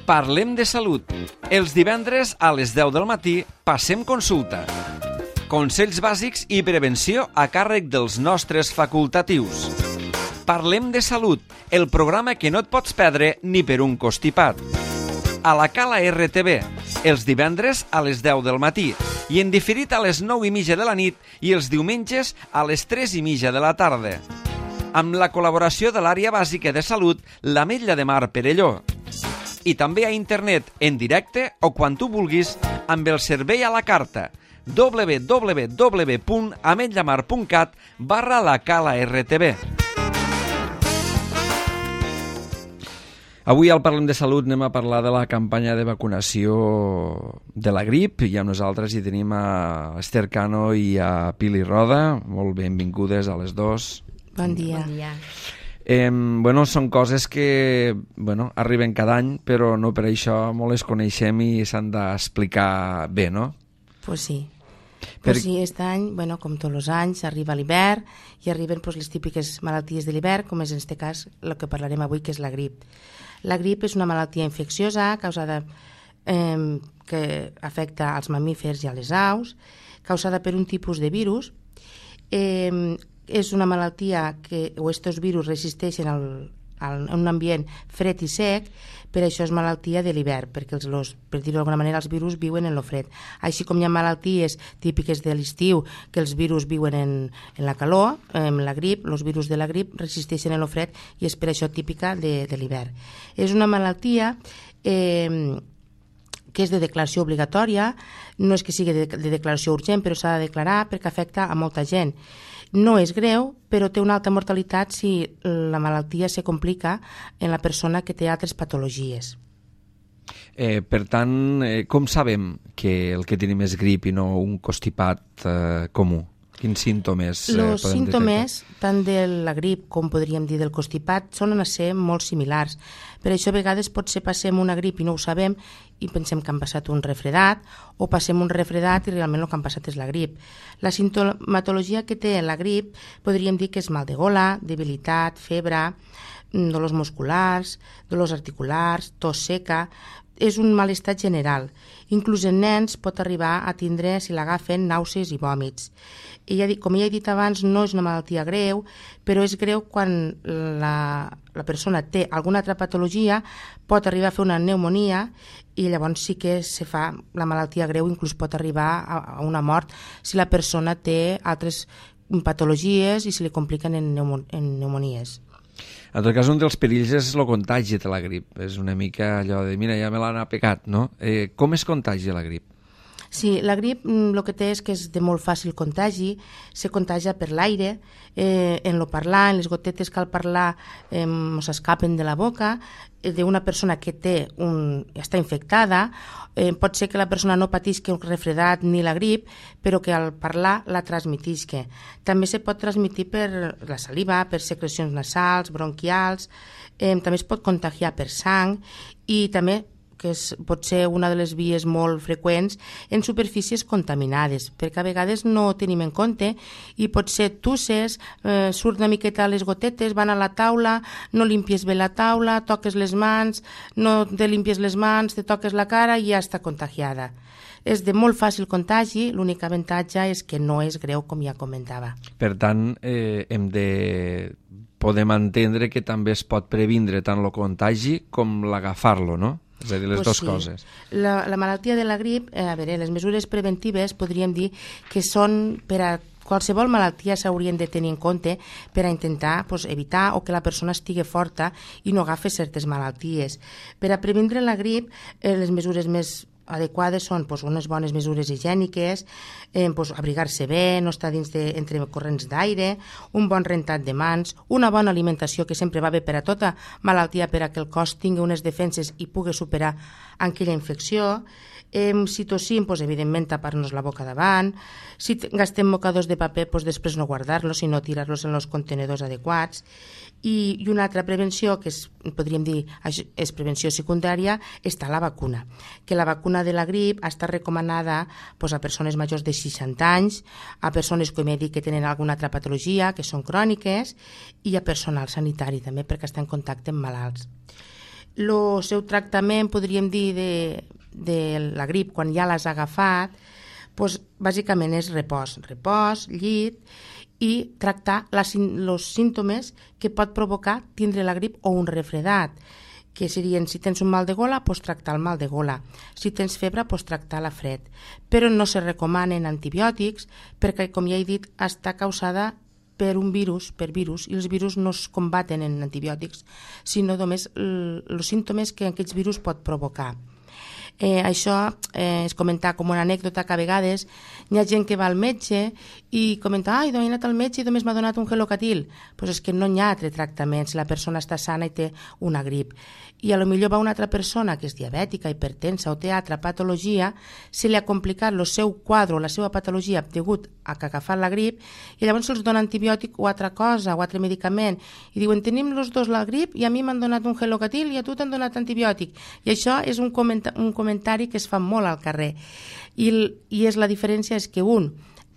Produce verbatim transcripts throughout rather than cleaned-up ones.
Parlem de salut. Els divendres a les deu del matí passem consulta. Consells bàsics i prevenció a càrrec dels nostres facultatius. Parlem de salut, el programa que no et pots perdre ni per un costipat. A la Cala R T V, els divendres a les deu del matí i en diferit a les nou i mitja de la nit i els diumenges a les tres i mitja de la tarda. Amb la col·laboració de l'àrea bàsica de salut, l'Ametlla de Mar Perelló. I també a internet, en directe o quan tu vulguis, amb el servei a la carta w w w punt ametllamar punt cat barra la Cala R T V. Avui al Parlem de Salut anem a parlar de la campanya de vacunació de la grip i amb nosaltres hi tenim a Esther Cano i a Pili Roda. Molt benvingudes a les dos. Bon dia. Bon dia. Eh, bueno, són coses que bueno, arriben cada any, però no per això molt les coneixem i s'han d'explicar bé, no? Pues sí. Per... Pues sí, aquest any, bueno, com tots els anys, arriba l'hivern i arriben pues, les típiques malalties de l'hivern, com és en aquest cas el que parlarem avui, que és la grip. La grip és una malaltia infecciosa causada eh, que afecta als mamífers i a les aus, causada per un tipus de virus. Eh, és una malaltia que, o estos virus resisteixen al, al, en un ambient fred i sec, per això és malaltia de l'hivern, perquè els, los, per dir-ho d'alguna manera els virus viuen en lo fred. Així com hi ha malalties típiques de l'estiu que els virus viuen en, en la calor, en la grip, els virus de la grip resisteixen en lo fred i és per això típica de, de l'hivern. És una malaltia eh, que és de declaració obligatòria, no és que sigui de, de declaració urgent, però s'ha de declarar perquè afecta a molta gent. No és greu, però té una alta mortalitat si la malaltia se complica en la persona que té altres patologies. Eh, per tant, eh, com sabem que el que tenim és grip i no un constipat eh, comú? Quins símptomes eh, podem detectar? Els símptomes, tant de la grip com podríem dir del constipat, solen ser molt similars. Per això a vegades potser passem una grip i no ho sabem i pensem que han passat un refredat o passem un refredat i realment el que han passat és la grip. La sintomatologia que té la grip podríem dir que és mal de gola, debilitat, febre, dolors musculars, dolors articulars, tos seca. És un malestar general. Inclús en nens pot arribar a tindre, si l'agafen, nàusees i vòmits. I ja, com ja he dit abans, no és una malaltia greu, però és greu quan la, la persona té alguna altra patologia, pot arribar a fer una pneumonia i llavors sí que se fa la malaltia greu, inclús pot arribar a, a una mort si la persona té altres patologies i se li compliquen en, pneumo, en pneumonies. En tot cas, un dels perills és el contagi de la grip. És una mica allò de, mira, ja me l'han pegat, no? Eh, com es contagia la grip? Sí, la grip el que té és que és de molt fàcil contagi, se contagia per l'aire, eh, en lo parlar, en les gotetes que al parlar eh, s'escapen de la boca, eh, d'una persona que té un, està infectada, eh, pot ser que la persona no patisca un refredat ni la grip, però que al parlar la transmetisca. També se pot transmetre per la saliva, per secrecions nasals, bronquials, eh, també es pot contagiar per sang i també que és, pot ser una de les vies molt freqüents en superfícies contaminades, perquè a vegades no ho tenim en compte i pot ser tusses, eh, surt una miqueta les gotetes, van a la taula, no limpies bé la taula, toques les mans, no te limpies les mans, te toques la cara i ja està contagiada. És de molt fàcil contagi, l'únic avantatge és que no és greu, com ja comentava. Per tant, eh, hem de... podem entendre que també es pot previndre tant el contagi com l'agafar-lo, no? És a dir, les pues dues sí. coses. La, la malaltia de la grip, eh, a veure, les mesures preventives podríem dir que són per a qualsevol malaltia s'haurien de tenir en compte per a intentar pues, evitar o que la persona estigui forta i no agafi certes malalties. Per a previndre la grip, eh, les mesures més adequades són pues, unes bones mesures higièniques, eh, pues, abrigar-se bé, no estar dins de, entre corrents d'aire, un bon rentat de mans, una bona alimentació que sempre va bé per a tota malaltia per a que el cos tingui unes defenses i pugui superar aquella infecció. Eh, si tossim, pues, evidentment tapar-nos la boca davant. Si gastem mocadors de paper, pues, després no guardar-los, sinó tirar-los en els contenedors adequats. I, i una altra prevenció, que és, podríem dir és prevenció secundària, està la vacuna. Que la vacuna de la grip està recomanada pues, a persones majors de seixanta anys, a persones, com he dit, que tenen alguna altra patologia, que són cròniques, i a personal sanitari també, perquè està en contacte amb malalts. El seu tractament, podríem dir, de, de la grip, quan ja l'has agafat, doncs, bàsicament és repòs, repòs, llit, i tractar els símptomes que pot provocar tindre la grip o un refredat, que serien, si tens un mal de gola, pots tractar el mal de gola. Si tens febre, pots tractar la fred. Però no se recomanen antibiòtics perquè, com ja he dit, està causada per un virus, per virus, i els virus no es combaten en antibiòtics, sinó només els símptomes que aquests virus pot provocar. Eh, això eh, és comentar com una anècdota que a vegades hi ha gent que va al metge i comenta, ai, he anat al metge i només m'ha donat un gelocatil. Doncs és que no hi ha altre tractament si la persona està sana i té una grip. I a lo millor va una altra persona que és diabètica, hipertensa o té altra patologia, se li ha complicat el seu quadre o la seva patologia degut a que ha agafat la grip i llavors se'ls dona antibiòtic o altra cosa o altre medicament i diuen, tenim els dos la grip i a mi m'han donat un gelocatil i a tu t'han donat antibiòtic. I això és un, comenta un comentari que es fa molt al carrer. I, i és la diferència és que un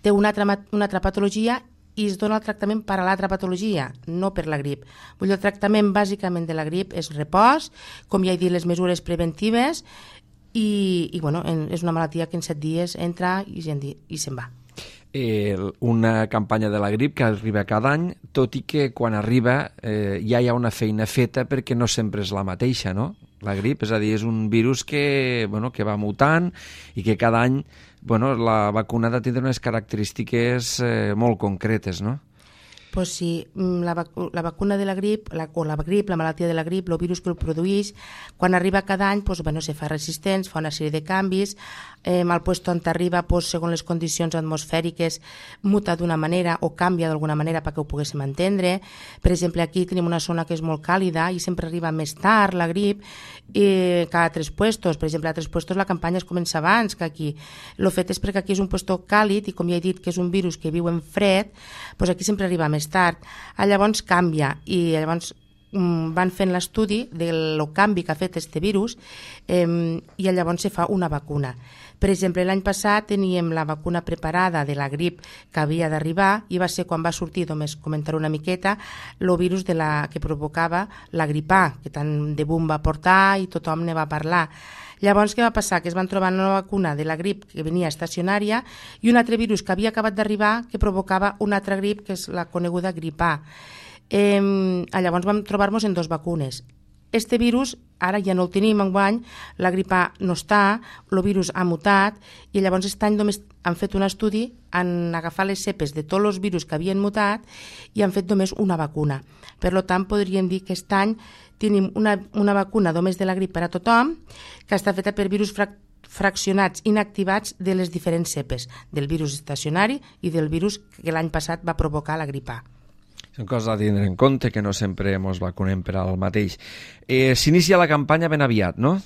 té una altra, una altra patologia i es dona el tractament per a l'altra patologia, no per la grip. Vull dir, el tractament bàsicament de la grip és repòs, com ja he dit, les mesures preventives i, i bueno, en, és una malaltia que en set dies entra i, i se'n va. Eh, una campanya de la grip que arriba cada any, tot i que quan arriba eh, ja hi ha una feina feta perquè no sempre és la mateixa, no? La grip, és a dir, és un virus que, bueno, que va mutant i que cada any, bueno, la vacuna ha de tindre unes característiques eh, molt concretes, no? Pues sí, la, vacu la vacuna de la grip, la, o la grip, la malaltia de la grip, el virus que el produeix, quan arriba cada any, pues, bueno, se fa resistent, fa una sèrie de canvis, eh, al puesto on arriba, pues, segons les condicions atmosfèriques, muta d'una manera o canvia d'alguna manera perquè ho poguéssim entendre. Per exemple, aquí tenim una zona que és molt càlida i sempre arriba més tard la grip eh, que a altres puestos. Per exemple, a altres puestos la campanya es comença abans que aquí. El fet és perquè aquí és un puesto càlid i, com ja he dit, que és un virus que viu en fred, pues aquí sempre arriba més tard. Llavors canvia i llavors mm, van fent l'estudi del canvi que ha fet este virus eh, i llavors se fa una vacuna. Per exemple, l'any passat teníem la vacuna preparada de la grip que havia d'arribar i va ser quan va sortir, només comentar una miqueta, el virus de la, que provocava la grip A, que tant de boom va portar i tothom ne va parlar. Llavors, què va passar? Que es van trobar una vacuna de la grip que venia estacionària i un altre virus que havia acabat d'arribar que provocava una altra grip, que és la coneguda grip A. Eh, llavors vam trobar-nos en dues vacunes. Este virus ara ja no el tenim enguany, la grip A no està, el virus ha mutat i llavors aquest any només han fet un estudi, han agafat les cepes de tots els virus que havien mutat i han fet només una vacuna. Per tant, podríem dir que aquest any tenim una, una vacuna només de la grip per a tothom que està feta per virus frac fraccionats, inactivats de les diferents cepes, del virus estacionari i del virus que l'any passat va provocar la grip A. Són coses a tindre en compte, que no sempre ens vacunem per al mateix. Eh, S'inicia la campanya ben aviat, no?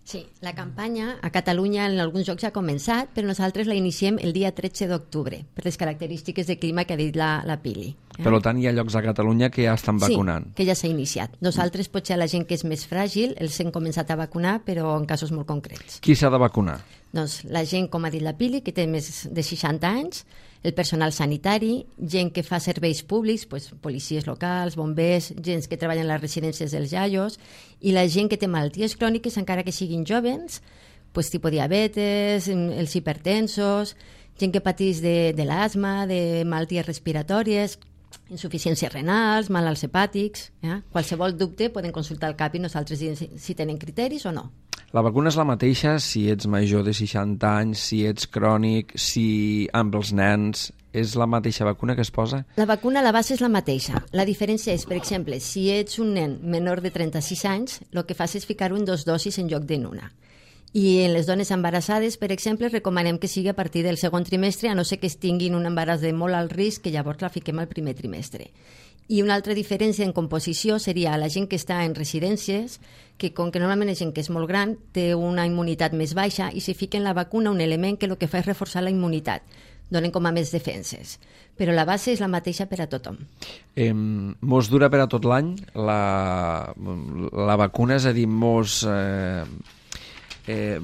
Sí, la campanya a Catalunya en alguns llocs ja ha començat, però nosaltres la iniciem el dia tretze d'octubre, per les característiques de clima que ha dit la, la Pili. Eh? Per tant, hi ha llocs a Catalunya que ja estan vacunant. Sí, que ja s'ha iniciat. Nosaltres, potser la gent que és més fràgil, els hem començat a vacunar, però en casos molt concrets. Qui s'ha de vacunar? Doncs la gent, com ha dit la Pili, que té més de seixanta anys, el personal sanitari, gent que fa serveis públics, pues, policies locals, bombers, gent que treballa en les residències dels iaios, i la gent que té malalties cròniques, encara que siguin jovens, pues, tipus diabetes, els hipertensos, gent que pateix de, de l'asma, de malalties respiratòries, insuficiències renals, malalts hepàtics. Eh? Qualsevol dubte poden consultar el CAP i nosaltres diem si, si tenen criteris o no. La vacuna és la mateixa si ets major de seixanta anys, si ets crònic, si amb els nens... És la mateixa vacuna que es posa? La vacuna, la base és la mateixa. La diferència és, per exemple, si ets un nen menor de trenta-sis anys, el que fas és ficar-ho en dos dosis en lloc d'en una. I en les dones embarassades, per exemple, recomanem que sigui a partir del segon trimestre, a no ser que es tinguin un embaràs de molt alt risc, que llavors la fiquem al primer trimestre. I una altra diferència en composició seria la gent que està en residències, que com que normalment és gent que és molt gran, té una immunitat més baixa i si fiquen la vacuna un element que el que fa és reforçar la immunitat, donen com a més defenses. Però la base és la mateixa per a tothom. Eh, mos dura per a tot l'any la, la vacuna, és a dir, mos... Eh, eh,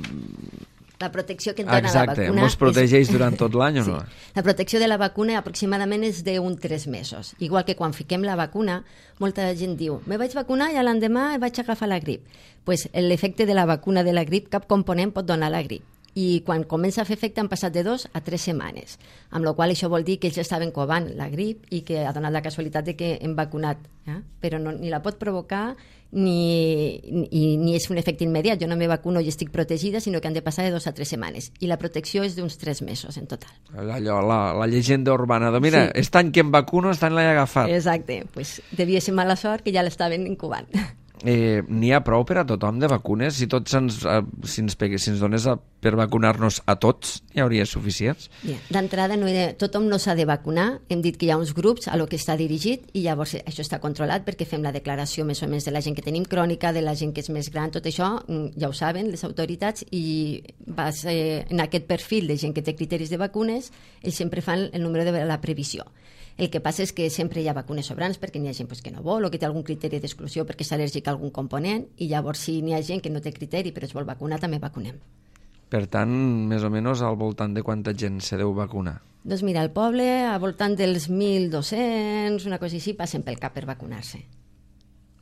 la protecció que et dona Exacte, la vacuna... mos protegeix és... durant tot l'any o no? Sí. La protecció de la vacuna aproximadament és d'un tres mesos. Igual que quan fiquem la vacuna, molta gent diu, me vaig vacunar i l'endemà vaig agafar la grip. Pues l'efecte de la vacuna de la grip, cap component pot donar la grip. I quan comença a fer efecte han passat de dos a tres setmanes, amb la qual cosa això vol dir que ells estaven covant la grip i que ha donat la casualitat de que hem vacunat, eh? Però no, ni la pot provocar ni, ni, ni és un efecte immediat. Jo no me vacuno i estic protegida, sinó que han de passar de dos a tres setmanes. I la protecció és d'uns tres mesos en total. Allò, la, la llegenda urbana de, mira, sí. Aquest any que em vacuno, aquest any l'he agafat. Exacte, pues devia ser mala sort que ja l'estaven incubant. Eh, n'hi ha prou per a tothom de vacunes? Si tots ens, eh, si ens, pegue, si ens donés a, per vacunar-nos a tots, hi hauria suficients? Yeah. D'entrada, no de, tothom no s'ha de vacunar. Hem dit que hi ha uns grups a lo que està dirigit i llavors això està controlat perquè fem la declaració més o menys de la gent que tenim crònica, de la gent que és més gran, tot això ja ho saben les autoritats i vas, eh, en aquest perfil de gent que té criteris de vacunes, ells sempre fan el número de la previsió. El que passa és que sempre hi ha vacunes sobrants perquè n'hi ha gent pues, que no vol o que té algun criteri d'exclusió perquè és al·lèrgic a algun component i llavors si n'hi ha gent que no té criteri però es vol vacunar, també vacunem. Per tant, més o menys al voltant de quanta gent se deu vacunar? Doncs mira, al poble, al voltant dels mil dos-cents, una cosa així, passen pel cap per vacunar-se.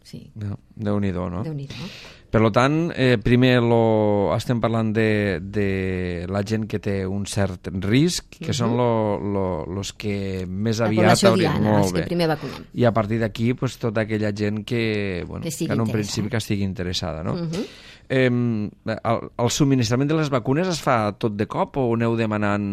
Sí. No, Déu-n'hi-do, no? Déu-n'hi-do. Per tant, eh, primer lo, estem parlant de, de la gent que té un cert risc, que uh-huh. són los lo, los que més la aviat haurien... Diana, els que primer vacunem. I a partir d'aquí, pues, tota aquella gent que, bueno, que, que en un principi que estigui interessada, no? Uh-huh. Eh, el, el subministrament de les vacunes es fa tot de cop o aneu demanant...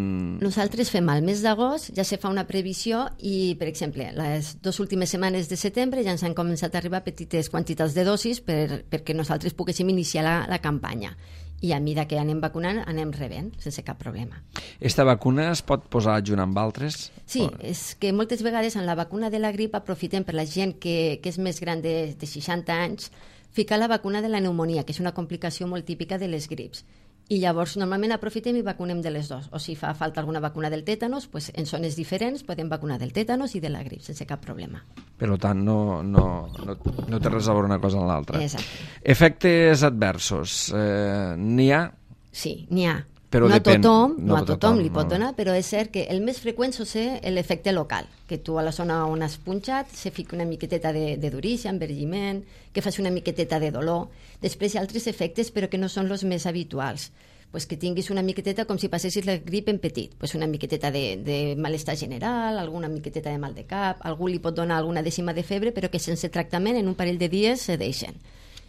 Nosaltres fem al mes d'agost, ja se fa una previsió i, per exemple, les dues últimes setmanes de setembre ja ens han començat a arribar petites quantitats de dosis per, perquè nosaltres poguéssim iniciar la, la campanya. I a mesura que anem vacunant, anem rebent, sense cap problema. Esta vacuna es pot posar junt amb altres? Sí, o... és que moltes vegades en la vacuna de la grip aprofitem per la gent que, que és més gran de, de seixanta anys ficar la vacuna de la pneumonia, que és una complicació molt típica de les grips. I llavors normalment aprofitem i vacunem de les dues. O si fa falta alguna vacuna del tètanos, pues en zones diferents podem vacunar del tètanos i de la grip sense cap problema. Per tant, no, no, no, no té res a veure una cosa amb l'altra. Exacte. Efectes adversos. Eh, n'hi ha? Sí, n'hi ha. Però no, depèn, a tothom, no, no a tothom, tothom li no. pot donar, però és cert que el més freqüent és l'efecte local, que tu a la zona on has punxat se fica una miqueteta de, de durícia, envergiment, que fas una miqueteta de dolor. Després hi ha altres efectes, però que no són els més habituals. Pues que tinguis una miqueteta com si passessis la grip en petit, pues una miqueteta de, de malestar general, alguna miqueteta de mal de cap, algú li pot donar alguna dècima de febre, però que sense tractament en un parell de dies se deixen.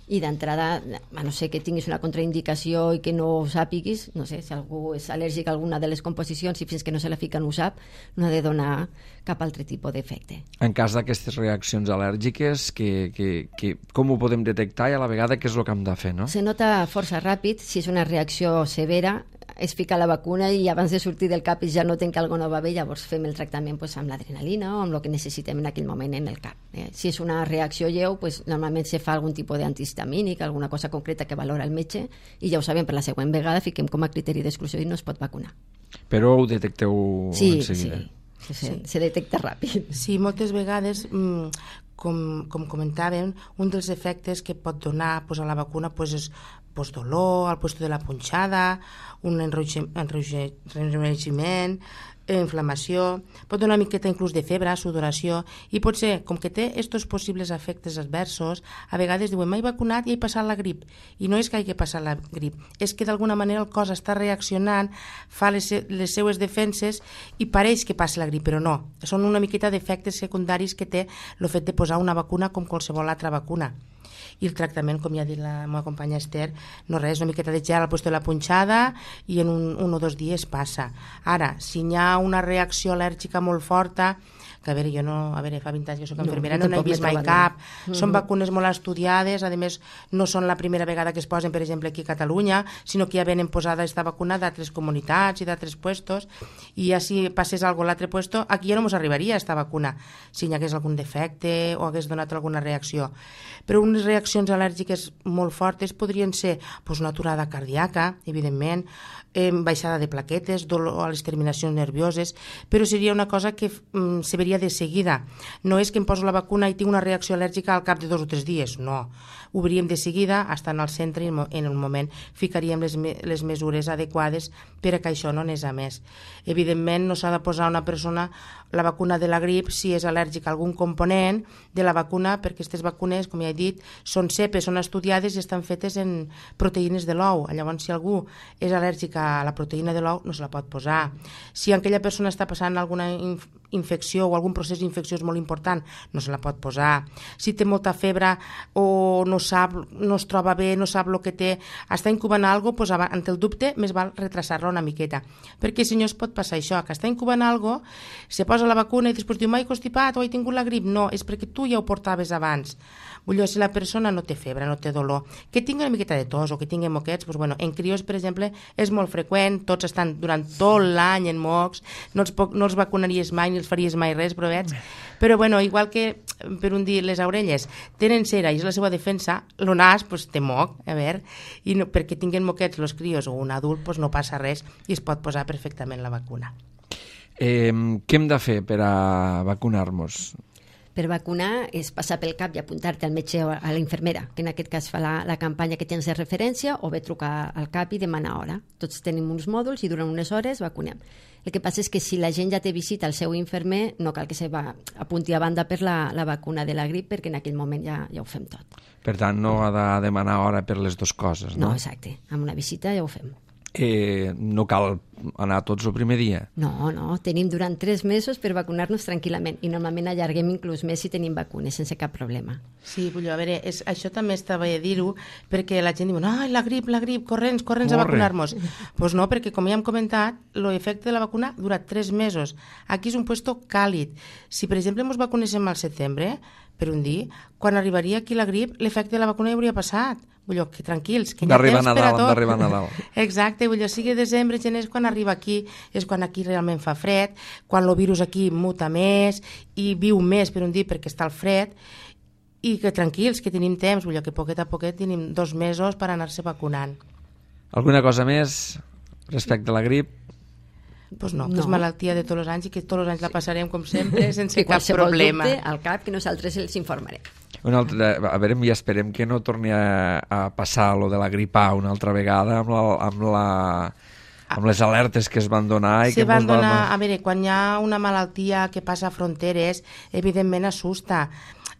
I d'entrada, a no ser que tinguis una contraindicació i que no ho sàpiguis, no sé, si algú és al·lèrgic a alguna de les composicions i fins que no se la fica no ho sap, no ha de donar cap altre tipus d'efecte. En cas d'aquestes reaccions al·lèrgiques, que, que, que, com ho podem detectar i a la vegada què és el que hem de fer, no? Se nota força ràpid, si és una reacció severa, es fica la vacuna i abans de sortir del cap ja noten que alguna no va bé, llavors fem el tractament pues, amb l'adrenalina o amb el que necessitem en aquell moment en el cap. Eh? Si és una reacció lleu, pues, normalment se fa algun tipus d'antihistamínic, alguna cosa concreta que valora el metge i ja ho sabem, per la següent vegada fiquem com a criteri d'exclusió i no es pot vacunar. Però ho detecteu sí, en seguida. Sí, sí, sí, se detecta ràpid. Sí, moltes vegades, com, com comentàvem, un dels efectes que pot donar pues, a la vacuna pues, és pues, dolor al lloc de la punxada, un enrogiment, inflamació, pot donar una miqueta inclús de febre, sudoració, i potser, com que té aquests possibles efectes adversos, a vegades diuen, m'he vacunat i he passat la grip, i no és que hagi passat la grip, és que d'alguna manera el cos està reaccionant, fa les, les seues defenses i pareix que passa la grip, però no, són una miqueta d'efectes secundaris que té el fet de posar una vacuna com qualsevol altra vacuna. I el tractament, com ja ha dit la meva companya Esther, no res, una miqueta de gel al lloc de la punxada i en un, un o dos dies passa. Ara, si hi ha una reacció al·lèrgica molt forta, que a veure, jo no, a veure, fa vint anys que soc infermera, no, no n'he vist mai cap, mm-hmm. Són vacunes molt estudiades, a més no són la primera vegada que es posen, per exemple, aquí a Catalunya, sinó que ja venen posada esta vacuna d'altres comunitats i d'altres puestos, i ja si passés alguna a l'altre puesto, aquí ja no ens arribaria esta vacuna, si hi hagués algun defecte o hagués donat alguna reacció. Però unes reaccions al·lèrgiques molt fortes podrien ser pues, una aturada cardíaca, evidentment, eh, baixada de plaquetes, dolor a les terminacions nervioses, però seria una cosa que mm, se verificaria veria de seguida. No és que em poso la vacuna i tinc una reacció al·lèrgica al cap de dos o tres dies, no. Ho veuríem de seguida, estant al centre i en el moment ficaríem les, me les mesures adequades per a que això no anés a més. Evidentment, no s'ha de posar a una persona la vacuna de la grip si és al·lèrgic a algun component de la vacuna, perquè aquestes vacunes, com ja he dit, són cepes, són estudiades i estan fetes en proteïnes de l'ou. Llavors, si algú és al·lèrgic a la proteïna de l'ou, no se la pot posar. Si aquella persona està passant alguna inf infecció o algun procés infecciós molt important, no se la pot posar. Si té molta febre o no sap, no es troba bé, no sap el que té, està incubant alguna cosa, doncs, ante el dubte, més val retrasar-la una miqueta. Perquè si no es pot passar això, que està incubant alguna cosa, se posa la vacuna i després diu, m'he constipat o he tingut la grip. No, és perquè tu ja ho portaves abans. Vull dir, si la persona no té febre, no té dolor, que tingui una miqueta de tos o que tingui moquets, doncs, bueno, en crios, per exemple, és molt freqüent, tots estan durant tot l'any en mocs, no els, no els vacunaries mai ni els faries mai res, però veig. Però bueno, igual que per un dir les orelles tenen cera i és la seva defensa, el nas pues, té moc, a veure, i no, perquè tinguin moquets els crios o un adult pues, no passa res i es pot posar perfectament la vacuna. Eh, què hem de fer per a vacunar-nos? Per vacunar és passar pel cap i apuntar-te al metge o a la infermera, que en aquest cas fa la, la campanya que tens de referència, o bé trucar al cap i demanar hora. Tots tenim uns mòduls i durant unes hores vacunem. El que passa és que si la gent ja té visita al seu infermer, no cal que se va apunti a banda per la, la vacuna de la grip, perquè en aquell moment ja, ja ho fem tot. Per tant, no ha de demanar hora per les dues coses, no? No, exacte. Amb una visita ja ho fem. Eh, no cal anar tots el primer dia? No, no. Tenim durant tres mesos per vacunar-nos tranquil·lament i normalment allarguem inclús més si tenim vacunes sense cap problema. Sí, vull dir, a veure, és, això també estava a dir-ho perquè la gent diu, ai, la grip, la grip, corrents, corrents a vacunar-nos. Doncs pues no, perquè com ja hem comentat, l'efecte de la vacuna dura tres mesos. Aquí és un puesto càlid. Si, per exemple, ens vacunéssim al setembre, per un dia, quan arribaria aquí la grip, l'efecte de la vacuna ja hauria passat. Vull dir, que tranquils, que hi ha temps per a tot. D'arribar a Nadal. Exacte, vull dir, sigui desembre, gener, és quan arriba aquí, és quan aquí realment fa fred, quan el virus aquí muta més i viu més per un dia perquè està al fred, i que tranquils, que tenim temps, vull dir, que poquet a poquet tenim dos mesos per anar-se vacunant. Alguna cosa més respecte a la grip? Pues no, no, que és malaltia de tots els anys i que tots els anys la passarem com sempre sense cap qualsevol problema. Dubte al cap que nosaltres els informarem. Una altra, a veure, ja esperem que no torni a, a passar lo de la grip A una altra vegada amb, la, amb, la, amb les alertes que es van donar. I Se que van van... donar, a veure, quan hi ha una malaltia que passa a fronteres, evidentment assusta.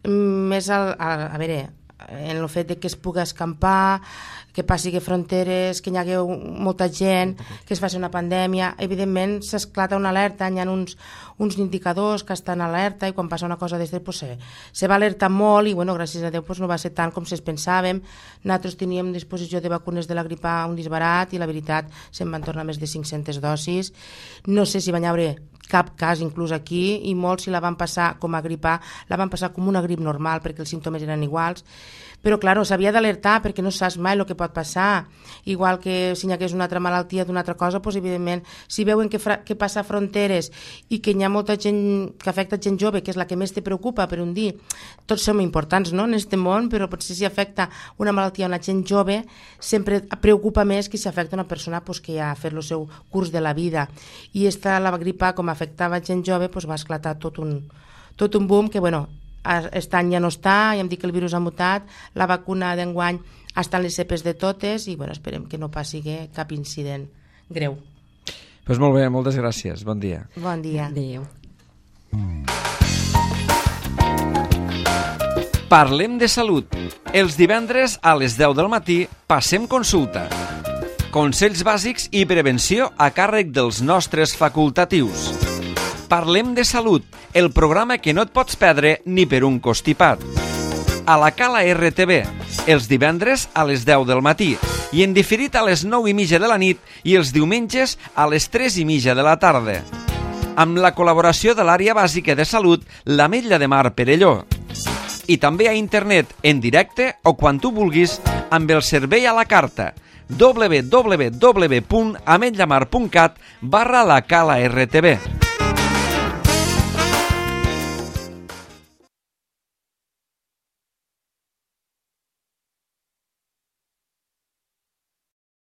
Més al, a, a veure, en el fet de que es pugui escampar, que passi que fronteres, que hi hagueu molta gent, que es faci una pandèmia, evidentment s'esclata una alerta, hi ha uns, uns indicadors que estan alerta i quan passa una cosa d'aquestes pues, se, se va alertar molt i bueno, gràcies a Déu pues, no va ser tant com si es pensàvem. Nosaltres teníem disposició de vacunes de la grip A un disbarat i la veritat se'n van tornar més de cinc-centes dosis. No sé si van haver cap cas inclús aquí i molts si la van passar com a grip A la van passar com una grip normal perquè els símptomes eren iguals, però clar, s'havia d'alertar perquè no saps mai el que pot passar, igual que si hi hagués una altra malaltia d'una altra cosa, doncs evidentment si veuen que, que passa fronteres i que hi ha molta gent que afecta gent jove, que és la que més te preocupa per un dir, tots som importants no, en aquest món, però potser si afecta una malaltia a una gent jove sempre preocupa més que si afecta una persona pues, que ja ha fet el seu curs de la vida, i esta la grip A com afectava gent jove pues, va esclatar tot un, tot un boom que bueno, aquest any ja no està, ja hem dit que el virus ha mutat, la vacuna d'enguany està en les cepes de totes i bueno, esperem que no passi cap incident greu. Pues molt bé, moltes gràcies, bon dia. Bon dia. Adéu. Parlem de salut. Els divendres a les deu del matí passem consulta. Consells bàsics i prevenció a càrrec dels nostres facultatius. Parlem de salut, el programa que no et pots perdre ni per un costipat. A la Cala R T V, els divendres a les deu del matí i en diferit a les nou i mitja de la nit i els diumenges a les tres i mitja de la tarda. Amb la col·laboració de l'àrea bàsica de salut, l'Ametlla de Mar Perelló. I també a internet, en directe o quan tu vulguis, amb el servei a la carta w w w punt ametllamar punt cat barra la Cala R T V.